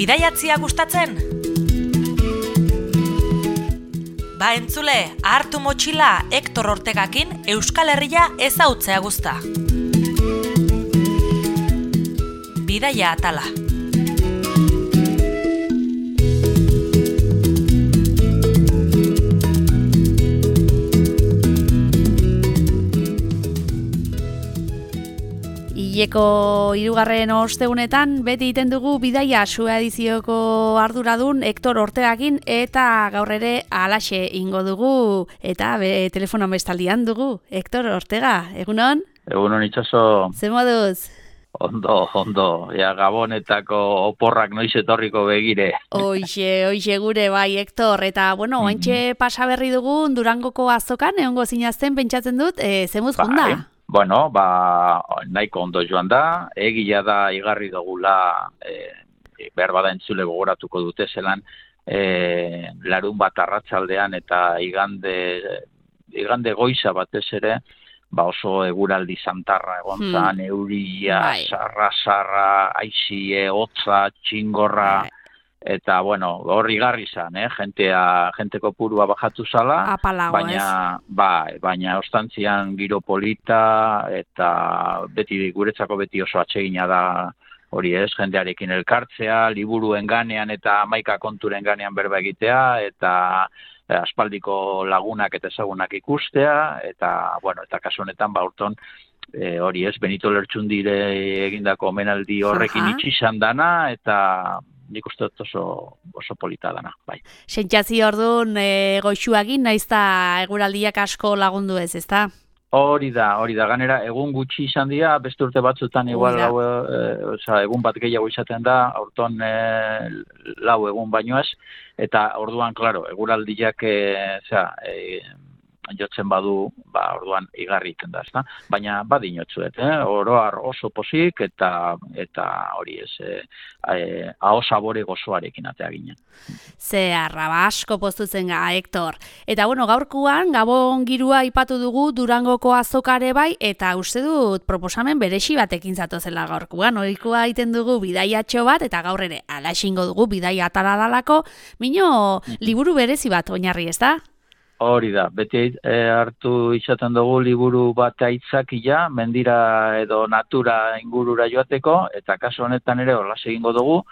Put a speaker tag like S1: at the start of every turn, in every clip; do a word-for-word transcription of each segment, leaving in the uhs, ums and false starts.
S1: Bidaiatzia gustatzen? Ba entzule, hartu motxila Hektor Ortegakin Euskal Herria ezautzea guzta. Bidaia atala.
S2: Hileko hirugarren ostegunetan beti egiten dugu bidaia sua edizioko arduradun Hektor Ortegakin eta gaur ere halaxe ingo dugu eta be, telefono bestaldian dugu. Hektor Ortega, egunon?
S3: Egunon itxaso.
S2: Zer moduz?
S3: Ondo, ondo. Ja, Gabonetako oporrak noiz etorriko begire.
S2: Hoixe, hoixe gure bai, Hektor. Eta, bueno, oantxe pasa berri dugun Durangoko azokan, egongo zinazten pentsatzen dut, e, zemuz
S3: bai.
S2: junda?
S3: Bueno, ba, nahiko ondo joan da, egia da igarri dugula, e, behar bada entzule gogoratuko dute zelan, e, larun bat arratsaldean eta igande, igande goiza batez ere, ba oso eguraldi santarra egon zan, hmm. euria, bai. sarra, sarra, aizie, hotza, txingorra, bai. Eta, bueno, horri garri zan, eh? Gentea, jenteko purua bajatu zala,
S2: Apalago,
S3: baina, ba, baina ostantzian giro polita, eta beti guretzako beti oso atsegina da hori ez, jendearekin elkartzea, liburuen ganean eta hamaika konturen ganean berba egitea, eta eh, aspaldiko lagunak eta ezagunak ikustea, eta, bueno, eta kasu honetan, ba, urton, e, hori ez, Benito Lertxundire egindako omenaldi horrekin itxi izan dana, eta nik uste dut oso, oso polita dana, bai.
S2: Sentsazio orduan e, goixuagin naiz da eguraldiak asko lagundu ez, ezta?
S3: Hori da, hori da, ganera egun gutxi izan dira, beste urte batzutan igual lau, e, oza, egun bat gehiago izaten da, aurton e, lau egun baino ez, eta orduan, klaro, eguraldiak e, zera, e, jotzen badu, ba, orduan igarri iten da, ezta? Baina badinotzuet, eh? Oroar oso pozik eta eta hori ez, eh, eh, aho sabore gozoarekin atea ginen.
S2: Ze arraba asko postutzen ga, Hektor. Eta bueno, gaurkoan Gabon girua aipatu dugu Durangoko azokare bai, eta uste dut proposamen beresi batekin zatozela gaurkoan. Ohikoa egiten dugu bidaiatxo bat, eta gaur ere alaxingo dugu bidaia atala dalako, mino liburu berezi bat oinarri, ezta?
S3: Hori da, beti e, hartu izaten dugu liburu bat aitzakia, mendira edo natura ingurura joateko, eta kasu honetan ere horlas egingo dugu,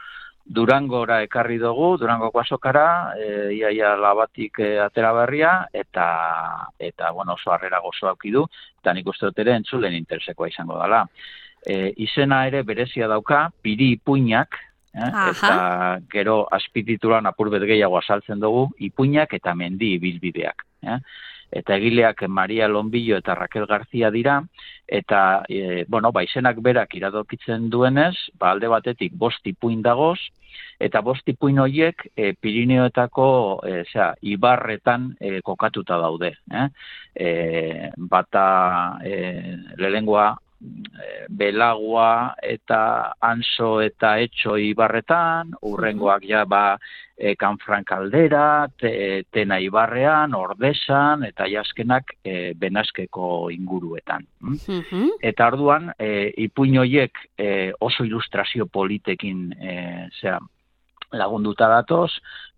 S3: Durangora ekarri dugu, Durangoko azokara, e, iaia labatik e, atera berria, eta, eta bueno, oso harrera gozo aukidu, eta nik uste dut ere entzulen interesekoa izango dela. E, izena ere berezia dauka, Piri ipuinak, Eh? Eta gero azpititulan apurbet gehiago azaltzen dugu, ipuinak eta mendi ibilbideak. Eh? Eta egileak Maria Lonbillo eta Raquel García dira, eta e, bueno, baizenak berak iradokitzen duenez, ba, alde batetik bost ipuin dagoz, eta bost ipuin horiek e, Pirineoetako e, zera, ibarretan e, kokatuta daude. Eh? E, bata e, lehengoa, Belagua eta Anso eta Etxo ibarretan, urrengoak ja ba e, Kanfran kaldera, te, Tena ibarrean, Ordesan eta jaskenak e, Benaskeko inguruetan. Mm? Eta orduan, e, ipuin horiek e, oso ilustrazio politekin e, zera, lagunduta datoz,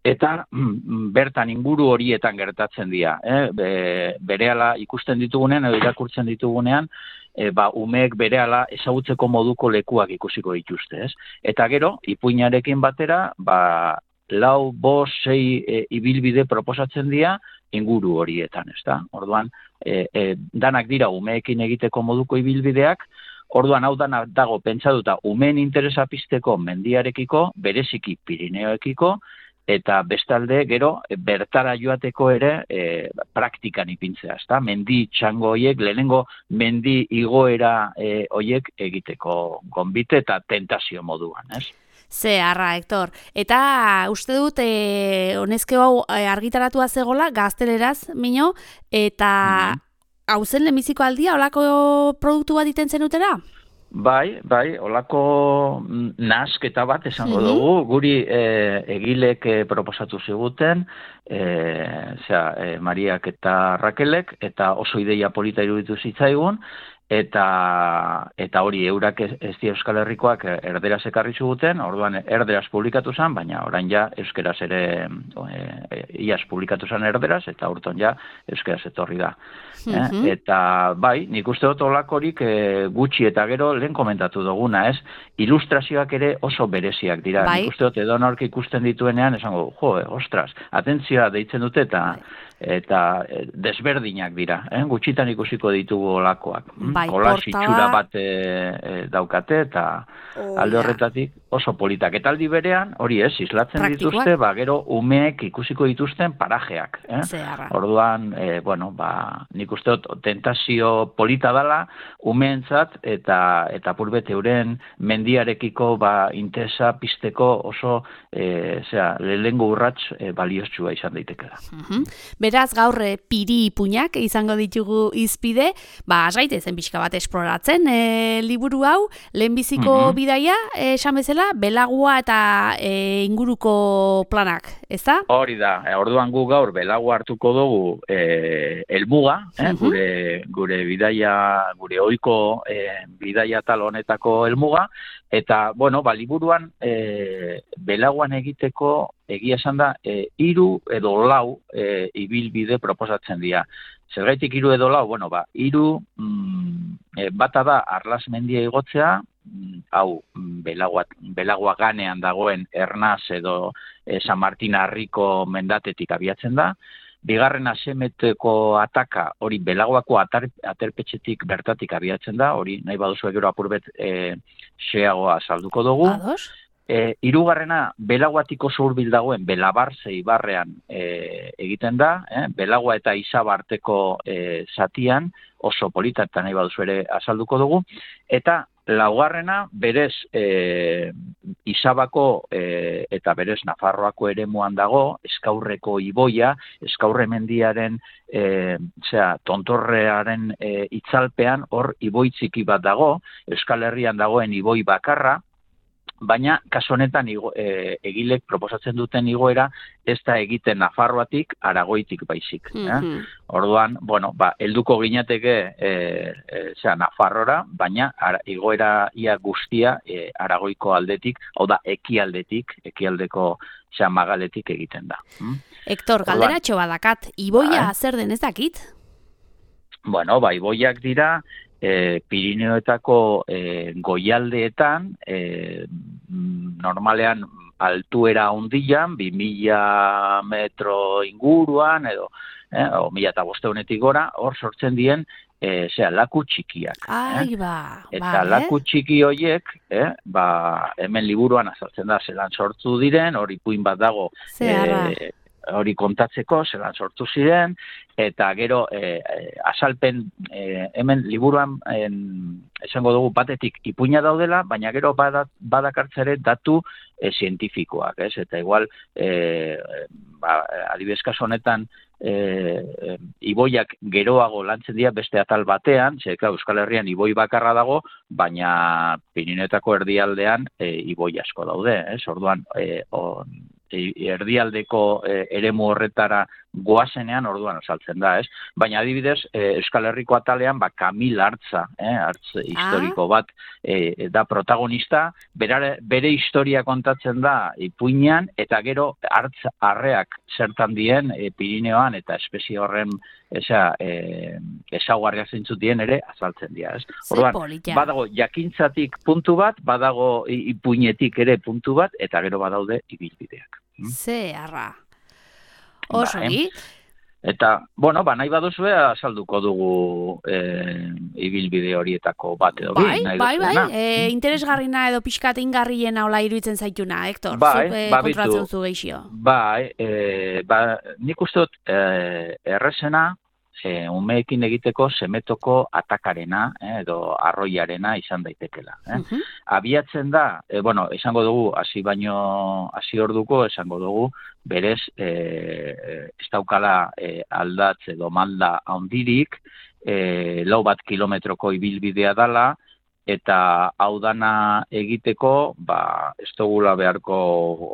S3: eta mm, bertan inguru horietan gertatzen dira. Eh? Be, berehala ikusten ditugunean, edo irakurtzen ditugunean, e, ba, umeek berehala ezagutzeko moduko lekuak ikusiko dituzte. Ez? Eta gero, ipuinarekin batera, ba, lau, bost, sei e, ibilbide proposatzen dira inguru horietan. Ezta? Orduan, e, e, danak dira umeekin egiteko moduko ibilbideak, orduan hau dana dago pentsatuta umeen interesa pizteko mendiarekiko, bereziki Pirineoekiko, eta bestalde gero bertara joateko ere e, praktikan ipintzea, ezta? Mendi txango hoiek, lehenengo mendi igoera e, hoiek egiteko gonbite eta tentazio moduan, ez?
S2: Ze, arra, Hektor. Eta uste dut, e, honezkeo hau argitaratua zegola, gazteleraz, mino, eta mm-hmm. hau zen lehenbiziko aldia, holako produktu bat iten zenutera?
S3: Bai, bai, olako nasketa bat esango mm-hmm. dugu, guri e, egilek e, proposatu ziguten, e, zera, e, Mariak eta Rakelek, eta oso ideia polita iruditu zitzaigun, eta eta hori eurak ez, ez di Euskal Herrikoak erderaz ekarri zuguten, orduan erderaz publikatu zen, baina orain ja euskeraz ere e, iaz publikatu zen erderaz, eta urton ja euskeraz etorri da.
S2: Mhm.
S3: eh? Eta bai, nik uste dut olakorik e, gutxi eta gero lehen komentatu duguna, ez? Ilustrazioak ere oso bereziak dira.
S2: Bai.
S3: Nik uste dut edo nork ikusten dituenean, esango, jo, eh, ostras, atentzioa deitzen dute eta eta eh, desberdinak dira, eh? Gutxitan ikusiko ditugu olakoak.
S2: Bai,
S3: Hola
S2: portada-
S3: itxura bat e, e, daukate eta
S2: Oh,
S3: alde
S2: ja.
S3: horretatik oso politak. Eta aldi berean, hori ez, islatzen
S2: Praktikoak.
S3: dituzte, ba, gero umeek ikusiko dituzten parajeak. Eh?
S2: Zeharra.
S3: Orduan, e, bueno, ba, nik uste dut tentazio polita dala umeentzat eta eta purbet euren mendiarekiko ba, interesa pizteko oso e, zera, lehengo urrats e, baliotsua izan daitekela.
S2: Mhm. Beraz, gaur eh, piri ipuinak izango ditugu izpide, ba, asgaitezen pixka bat esploratzen e, liburu hau, lehenbiziko
S3: Mhm.
S2: bidaia, eh, esan bezala, belagua eta e, inguruko planak, ezta?
S3: Hori da, e, orduan gu gaur belago hartuko dugu e, helmuga, eh,
S2: Mhm.
S3: gure gure bidaia, gure ohiko e, bidaia tal honetako helmuga, eta bueno, ba liburuan e, belagoan egiteko egia esan da e, hiru edo lau e, ibilbide proposatzen dira. Zergaitik hiru edo lau, bueno, ba hiru mm, e, bata da Arlas mendia igotzea, mm, hau mm, belagoa belagoa ganean dagoen Ernaz edo e, San Martin Harriko mendatetik abiatzen da. Bigarrena Semeteko ataka, hori belagoako atar, aterpetxetik bertatik abiatzen da, hori nahi baduzu gero apurbet e, xeagoa salduko dugu.
S2: Ados?
S3: E, hirugarrena belaguatiko zurbil dagoen Belabarze ibarrean e, egiten da, eh? Belagua eta Izaba arteko e, zatian, oso polita eta nahi baduzu ere azalduko dugu, eta laugarrena berez e, Izabako e, eta berez Nafarroako eremuan dago, Eskaurreko iboia, Eskaurre mendiaren e, zera, tontorrearen e, itzalpean hor iboi txiki bat dago, Euskal Herrian dagoen iboi bakarra, baina kasu honetan igo, e, egilek proposatzen duten igoera ez da egiten Nafarroatik, Aragoitik baizik. Eh?
S2: Mhm.
S3: Orduan, bueno, ba, helduko ginateke e, e, zera, Nafarrora, baina ara, igoera ia guztia e, Aragoiko aldetik, hau da, ekialdetik, ekialdeko zera, magaletik egiten da. Mm?
S2: Hektor,
S3: Orduan-
S2: galderatxo badakat, iboia
S3: Bai.
S2: zer den ez dakit?
S3: Bueno, bai, iboiak dira, e, Pirineoetako e, goialdeetan, e, normalean altuera hundian, bi mila metro inguruan, edo, eh, o mila eta bosteunetik gora, hor sortzen dien, e, zera, laku txikiak.
S2: Ai,
S3: eh?
S2: ba,
S3: Eta
S2: bale.
S3: laku txiki horiek, eh, ba, hemen liburuan azaltzen da, zelan sortu diren, hori ipuin bat dago,
S2: Zeharra.
S3: e, hori kontatzeko, zelan sortu ziren, eta gero e, e, azalpen, e, hemen liburuan en, esango dugu batetik ipuina daudela, baina gero badak, badakartzere datu e, zientifikoak, ez? Eta igual, e, ba, adibidez kasu honetan, e, e, iboiak geroago lantzen dira beste atal batean, ze, klar, Euskal Herrian iboi bakarra dago, baina Pirinetako erdialdean e, iboi asko daude, ez? Orduan, e, on, erdialdeko e, eremu horretara goazenean orduan osaltzen da, ez? Baina adibidez, e, Euskal Herriko atalean, ba, Kamil Hartza, eh, hartz historiko bat e, da protagonista, bere, bere historia kontatzen da ipuinean, eta gero hartz arreak zertan dien e, Pirineoan eta espezie horren esa, e, ezaugarriak zeintzuk dien ere azaltzen dira, ez?
S2: Ze
S3: Orduan,
S2: polita.
S3: badago jakintzatik puntu bat, badago i- ipuinetik ere puntu bat, eta gero badaude ibilbideak.
S2: Zeharra. Oso
S3: Bai.
S2: gi.
S3: Eta, bueno, ba, nahi baduzue azalduko dugu e, ibilbide horietako bat edo bi.
S2: Bai,
S3: nahi
S2: bai, bai,
S3: duzuena.
S2: e, interesgarrina edo pixkat ingarriena hola iruditzen zaituna, Hektor,
S3: Bai,
S2: zuk e,
S3: ba,
S2: kontrolatzen
S3: bitu.
S2: zu geixio.
S3: Bai, e, ba, nik uste dut e, errezena, e, umeekin egiteko semetoko atakarena, eh, edo arroiarena izan daitekela. Eh?
S2: Mhm.
S3: Abiatzen da, e, bueno, esango dugu, hasi baino, hasi orduko, esango dugu, berez, e, ez daukala e, aldatz edo malda handirik, e, lau bat kilometroko ibilbidea dala, eta hau dana egiteko, ba, ez dugula beharko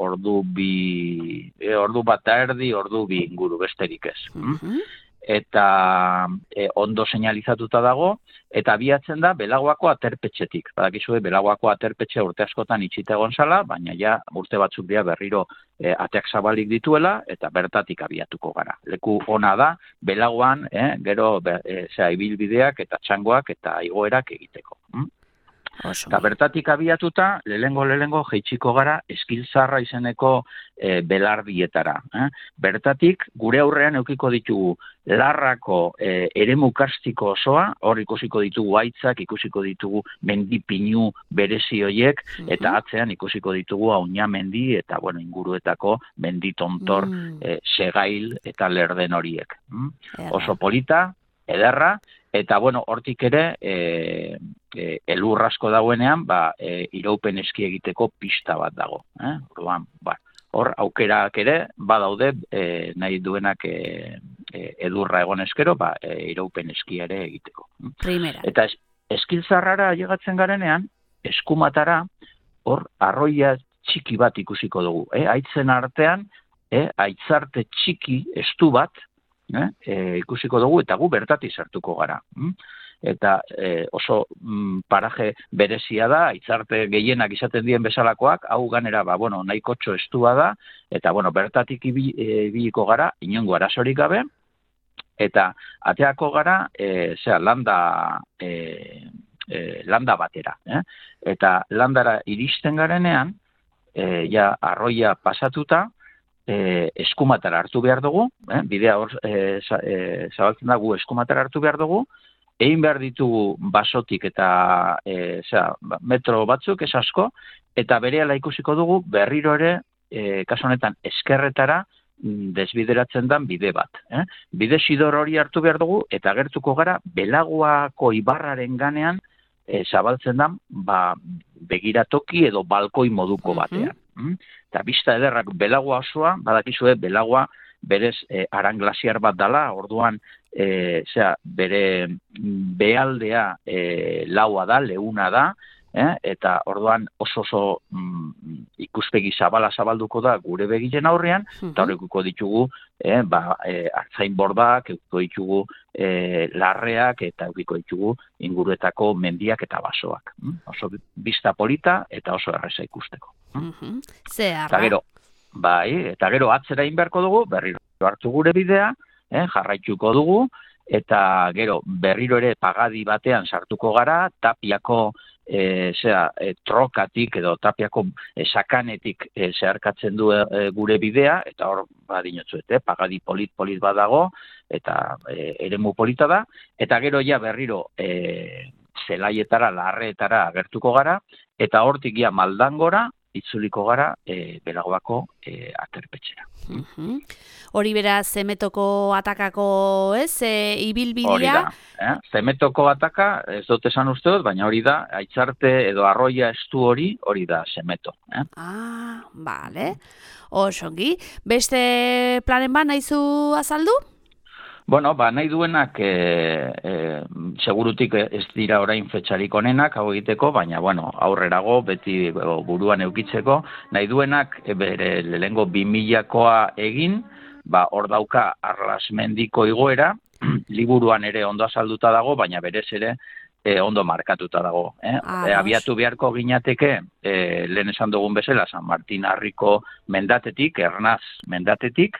S3: ordu bi, e, ordu bat eta erdi, ordu bi inguru besterik ez.
S2: Mhm.
S3: eta e, ondo seinalizatuta dago, eta abiatzen da Belagoako aterpetxetik. Badakizue, Belagoako aterpetxe urte askotan itxita egon zala, baina ja urte batzuk dira berriro e, ateak zabalik dituela, eta bertatik abiatuko gara. Leku ona da, Belagoan, eh, gero, be, e, zera, ibilbideak eta txangoak eta igoerak egiteko. Hm? Eta bertatik abiatuta, lehengo lehengo jeitsiko gara Eskiltzarra izeneko e, belardietara. Eh? Bertatik, gure aurrean eukiko ditugu Larrako e, eremu karstiko osoa, hor ikusiko ditugu haitzak, ikusiko ditugu mendipinu berezi hoiek, eta atzean ikusiko ditugu Auña mendi eta bueno, inguruetako menditontor, mm. e, segail eta lerden horiek. Mm? Oso polita, ederra, eta bueno, hortik ere e, e, elur asko dagoenean, ba, e, iraupen eski egiteko pista bat dago. Eh? Orduan, ba, hor aukerak ere badaude e, nahi duenak e, e, edurra egon eskero, ba, e, iraupen eski ere egiteko.
S2: Primera.
S3: Eta es, Eskiltzarrara llegatzen garenean, eskumatara, hor arroia txiki bat ikusiko dugu. Eh? Aitzen artean, eh? aitzarte txiki estu bat, Eh, e, ikusiko dugu eta gu bertatik sartuko gara. Mm? Eta e, oso mm, paraje berezia da, aitzarte gehienak izaten dien bezalakoak, hau ganera, ba, bueno, nahiko txo estua da, eta bueno, bertatik ibiliko gara, inongo arazorik gabe, eta ateako gara, e, zera, landa, e, e, landa batera. Eh? Eta landara iristen garenean, e, ja, arroia pasatuta, E, eskumatara hartu behar dugu, eh? bidea hor e, zabaltzen dugu eskumatara hartu behar dugu, egin behar ditugu basotik eta e, zera, metro batzuk, ez asko, eta berehala ikusiko dugu berriro ere, e, kasu honetan eskerretara desbideratzen den bide bat. Eh? Bide sidor hori hartu behar dugu, eta gertuko gara Belagoako ibarraren ganean e, zabaltzen den ba, begiratoki edo balkoi moduko batean. Mm-hmm. Eta bista ederrak Belagoa osoa, badakizue Belagoa berez e, aranglasiar bat dala, orduan e, zera, bere behaldea e, laua da, leuna da, eh? Eta orduan oso oso mm, ikuspegi zabala zabalduko da gure begiren aurrean, mm-hmm. eta horrekuko ditugu eh, ba, e, artzain bordak, eukiko ditugu e, larreak, eta eukiko ditugu inguruetako mendiak eta basoak. Mm? Oso bista polita eta oso erreza ikusteko.
S2: Mm-hmm. Zehar.
S3: Eta gero, bai, eta gero atzera inberko dugu, berriro hartu gure bidea, eh, jarraituko dugu, eta gero berriro ere pagadi batean sartuko gara, tapiako e, zera, e, trokatik edo tapiako e, sakanetik e, zeharkatzen du e, gure bidea, eta hor badinotzuet, eh, pagadi polit-polit badago, eta e, eremu polita da, eta gero ja berriro e, zelaietara, larreetara agertuko gara, eta hortik ja Maldangora, itzuliko gara e, Belagoako e, aterpetxera.
S2: Uh-huh. Hori bera Zemetoko atakako, ez, e, ibilbidea?
S3: Hori da, eh? Zemetoko ataka, ez dut esan uste dut, baina hori da, aitzarte edo arroia estu hori, hori da Zemeto. Eh?
S2: Ah, bale. Osongi, beste planen ba nahizu azaldu?
S3: Bueno, ba, nahi duenak, e, e, segurutik ez dira orain fetxarik onenak hau egiteko, baina, bueno, aurrerago, beti buruan eukitzeko, nahi duenak, e, bere lehengo bi milakoa egin, ba, hor dauka Arlasmendiko igoera, liburuan ere ondo azalduta dago, baina berez ere e, ondo markatuta dago. Eh? E, abiatu beharko ginateke, e, lehen esan dugun bezala, San Martin Harriko mendatetik, Ernaz mendatetik,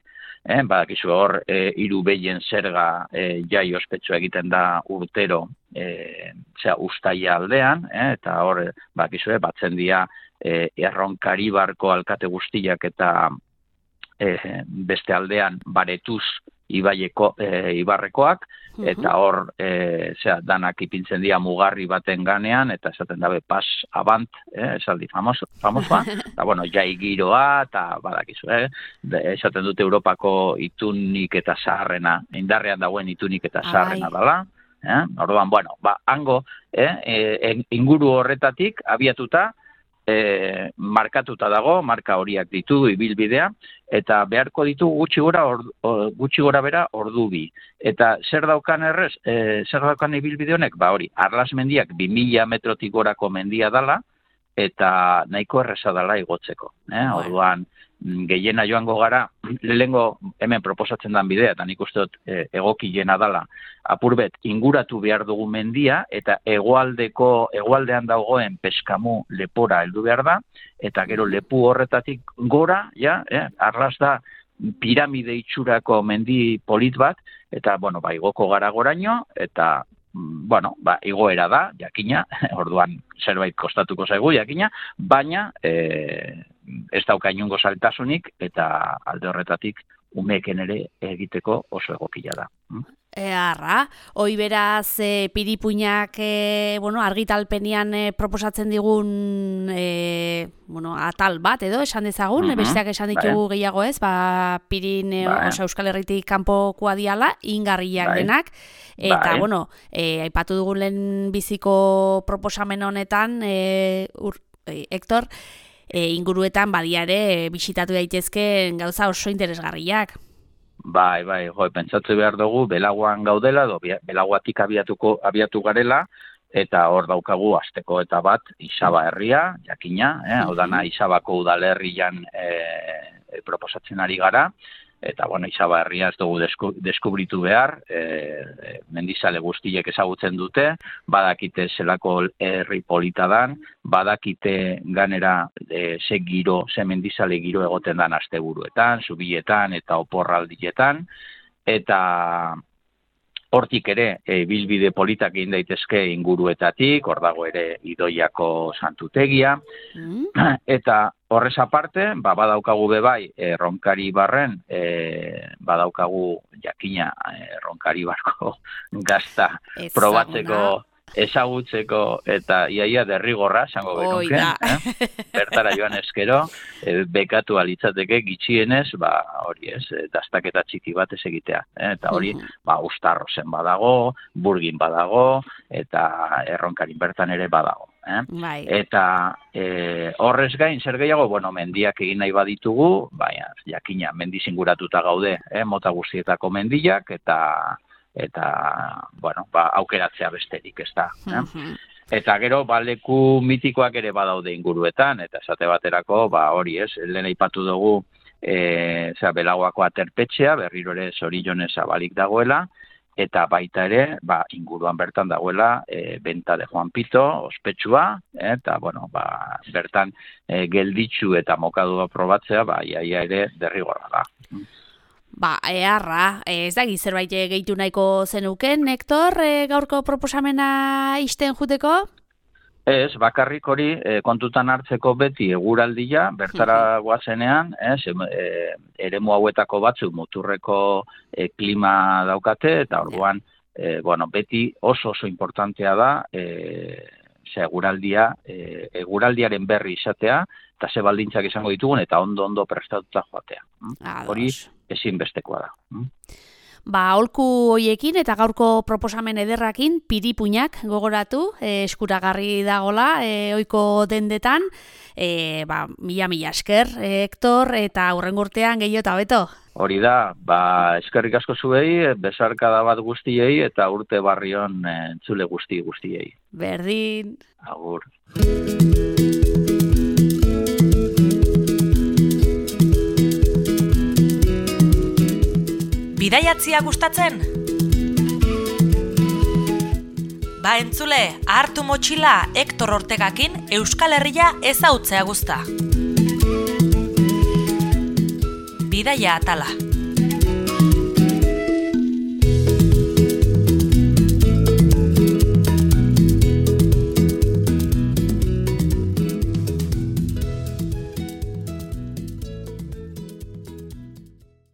S3: Eh, badakizu hor, e, hiru behien zerga e, jai ospetsua egiten da urtero e, zera, ustaia aldean, eh, eta hor, badakizu, batzen dira e, Erronkaribarko alkate guztiak eta e, beste aldean baretuz ibaieko, e, ibarrekoak, eta hor, e, zera, danak ipintzen dira mugarri baten ganean, eta esaten dabe pas abant, eh, esaldi famoso, famosoa, eta bueno, jai giroa, eta badakizu, eh, de, esaten dute Europako itunik eta zaharrena, indarrean dagoen itunik eta zaharrena dela, eh, orduan, bueno, ba, hango, eh, e, inguru horretatik, abiatuta, E, markatuta dago, marka horiak ditu ibilbidea, eta beharko ditu gutxi gora, or, gutxi gora bera ordu bi. Eta zer daukan errez, e, zer daukan ibilbide honek, ba hori, Arlasmendiak bi mila metrotik gorako mendia dala, eta nahiko erreza dala igotzeko. Eh? Orduan, gehiena joango gara, lehengo hemen proposatzen den bidea, eta nik uste dut e, egokiena dala, apurbet inguratu behar dugu mendia, eta hegoaldeko hegoaldean dagoen peskamu lepora heldu behar da, eta gero lepu horretatik gora, ja, eh, arras da piramide itxurako mendi polit bat, eta, bueno, ba, igoko gara goraino, eta, bueno, ba, igoera da, jakina, orduan zerbait kostatuko zaigu, jakina, baina e, ez dauka inongo zailtasunik, eta alde horretatik umeken ere egiteko oso egokia da.
S2: Earra, hoi beraz e, piripuinak e, bueno, argitalpenean e, proposatzen digun e, bueno, atal bat edo esan dezagun, mm-hmm. besteak esan ditugu bai. Gehiago ez, ba, pirin e, bai. Osa Euskal Herritik kanpokoa diala, ingarriak bai. Denak, eta bai. Bueno, e, aipatu dugun lehen biziko proposamen honetan, e, ur, e, Hector, e, inguruetan badiare bisitatu daitezke gauza oso interesgarriak.
S3: Bai, bai, jo, pentsatze behar dugu, belaguan gaudela, do, belaguatik abiatuko, abiatu garela, eta hor daukagu asteko eta bat Isaba herria, jakina, eh, hau dana Isabako udalerrian eh, proposatzen ari gara, eta, bueno, Isaba herria ez dugu desku, deskubritu behar, e, mendizale guztiek ezagutzen dute, badakite zelako herri polita dan, badakite ganera e, ze giro, ze mendizale giro egoten dan asteburuetan, zubietan eta oporraldietan, eta hortik ere e, bilbide politak egin daitezke inguruetatik, hor dago ere Idoiako santutegia, mm. eta horrez aparte, ba, badaukagu bebai, e, Ronkari barren, e, badaukagu jakina e, Ronkari barko gazta Ezaguna. Probatzeko, ezagutzeko, eta iaia derrigorra, zango genuke, eh? Bertara joan eskero, e, bekatu alitzateke gitxienez, ba, hori ez, dastaketa txiki bat ez egitea, eh? Eta hori, ba, Uztarrozen badago, Burgin badago, eta Erronkarin bertan ere badago. Eh?
S2: Bai.
S3: Eta e, horrez gain, zer gehiago, bueno, mendiak egin nahi baditugu, baina, jakina, mendizinguratuta gaude, eh? Mota guztietako mendiak, eta, eta bueno, ba, aukeratzea besterik, ez da. Eh? Mm-hmm. Eta gero, ba, leku mitikoak ere badaude inguruetan, eta esate baterako, ba, hori ez, lehen aipatu dugu, e, zera, Belagoako aterpetxea, berriro ere Zorionez zabalik dagoela, eta baita ere, ba, inguruan bertan dagoela e, Benta de Juan Pito, ospetsua, eta, bueno, ba, bertan e, gelditxu eta mokadua probatzea, ba, iaia ere derrigorra da.
S2: Ba, earra, ez da zerbait gehitu nahiko zenuken, Hector, e, gaurko proposamena isten juteko?
S3: Ez, bakarrik hori e, kontutan hartzeko beti eguraldia, bertara guazenean, ez, e, eremu hauetako batzuk muturreko e, klima daukate, eta orduan, e, bueno, beti oso oso importantea da, e, ze eguraldia, e, eguraldiaren berri izatea, eta ze baldintzak izango ditugun, eta ondo-ondo prestatuta joatea. Hori ezinbestekoa da.
S2: Ba, aholku hoiekin eta gaurko proposamen ederrakin piripuinak gogoratu, e, eskuragarri dagola, e, ohiko dendetan, e, ba, mila-mila esker, e, Hector, eta hurrengo urtean gehiago eta beto.
S3: Hori da, ba, eskerrik asko zuei, besarkada bat guztiei, eta urte barrion e, entzule guzti guztiei.
S2: Berdin.
S3: Agur.
S1: Bidaiatzia gustatzen? Ba entzule, hartu motxila Hector Ortegakin Euskal Herria ezautzea guzta. Bidaia atala.